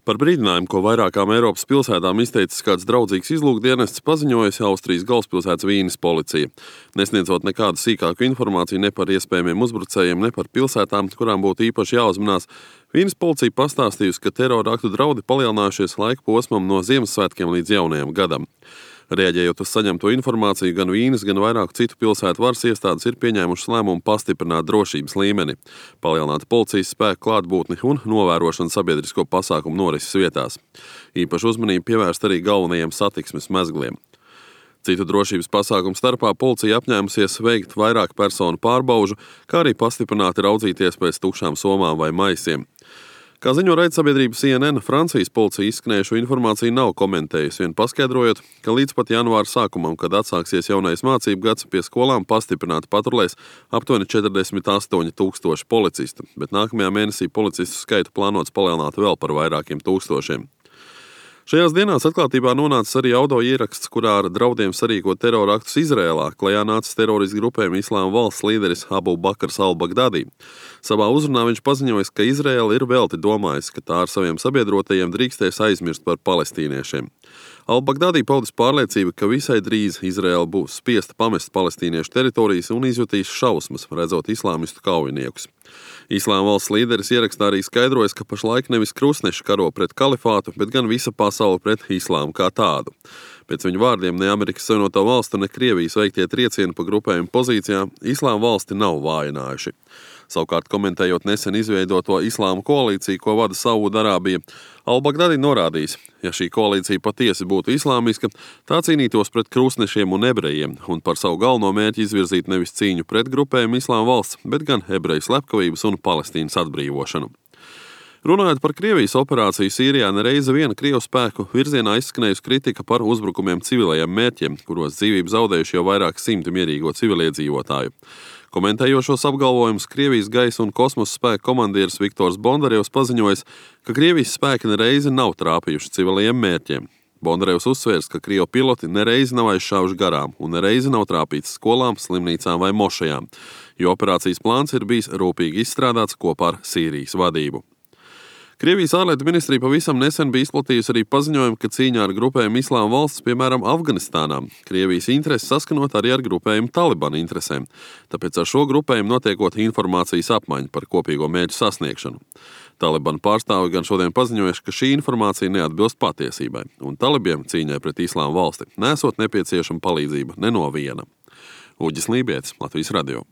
Par brīdinājumu, ko vairākām Eiropas pilsētām izteicis kāds draudzīgs izlūkdienests, paziņojusi Austrijas galvaspilsētas Vīnes policija, nesniedzot nekādu sīkāku informāciju ne par iespējamiem uzbrucējiem, ne par pilsētām, kurām būtu īpaši jāuzmanās. Vīnes policija pastāstījusi, ka terora aktu draudi palielinājušies laika posmam no Ziemassvētkiem līdz jaunajam gadam. Rēģējot uz saņemto informāciju, gan Vīnes, gan vairāku citu pilsētu varas iestādes ir pieņēmušas lēmumu pastiprināt drošības līmeni, palielināt policijas spēku klātbūtni un novērošanu sabiedrisko pasākumu norises vietās. Īpaši uzmanību pievērst arī galvenajiem satiksmes mezgliem. Citu drošības pasākumu starpā policija apņēmusies veikt vairāk personu pārbaužu, kā arī pastiprināti raudzīties pēc tukšām somām vai maisiem. Kā ziņo raidsabiedrība CNN, Francijas policija izskanējušo informāciju nav komentējusi, vien paskaidrojot, ka līdz pat janvāra sākumam, kad atsāksies jaunais mācību gads, pie skolām pastiprināti patrulēs aptuveni 48,000 policistu, bet nākamajā mēnesī policistu skaitu plānots palielināt vēl par vairākiem tūkstošiem. Šajās dienās atklātībā nonācis arī audio ieraksts, kurā ar draudiem sarīkot terora aktus Izrēlā klajā nācis teroristu grupējuma Islāma valsts līderis Abu Bakrs al-Bagdadi. Savā uzrunā viņš paziņojis, ka Izrēla ir velti domājis, ka tā ar saviem sabiedrotajiem drīkstēs aizmirst par palestīniešiem. Al-Bagdadi paudis pārliecību, ka visai drīz Izrēla būs spiesta pamest palestīniešu teritorijas un izjutīs šausmas, redzot islāmistu kaujiniekus. Islāma valsts līderis ierakstā arī skaidrojas, ka pašlaik nevis krustneši karo pret kalifātu, bet gan visa pasaule pret islāmu kā tādu. Pēc viņa vārdiem ne Amerikas Savienoto Valstu, ne Krievijas veiktie triecieni pa grupējumu pozīcijām Islāma valsti nav vājinājuši. Savukārt, komentējot nesen izveidoto islāma koalīciju, ko vada Saūdarābija, Al-Bagdadi norādījis, ja šī koalīcija patiesi būtu islāmiska, tā cīnītos pret krustnešiem un ebrejiem un par savu galveno mērķi izvirzīt nevis cīņu pret grupējumu Islāma valsts, bet gan ebreju slepkavības un Palestīnas atbrīvošanu. Runājot par Krievijas operāciju Sīrijā, nereizi viena Krievu spēku virzienā izskanējusi kritika par uzbrukumiem civilajiem mērķiem, kuros dzīvību zaudējuši jau vairāk simti mierīgo civiliedzīvotāju. Komentējošos apgalvojumus Krievijas gaisa un kosmosa spēku komandieris Viktors Bondarevs paziņojis, ka Krievijas spēki nereizi nav trāpījuši civilajiem mērķiem. Bondarevs uzsvērs, ka Krievu piloti nereizi nav aizšāvuši garām un nereizi nav trāpīts skolām, slimnīcām vai mošajām, jo operācijas plāns ir bijis rūpīgi izstrādāts kopā ar Sīrijas vadību. Krievijas ārlietu ministrija pavisam nesen bija izplatījusi arī paziņojumu, ka cīņā ar grupējumu Islāma valsts, piemēram, Afganistānā, Krievijas intereses saskanot arī ar grupējumu Talibana interesēm, tāpēc ar šo grupējumu notiekot informācijas apmaiņu par kopīgo mērķu sasniegšanu. Talibana pārstāvi gan šodien paziņojuši, ka šī informācija neatbilst patiesībai, un talibiem cīņai pret Islāma valsti nesot nepieciešama palīdzība ne no viena. Uģis Lībietis, Latvijas radio.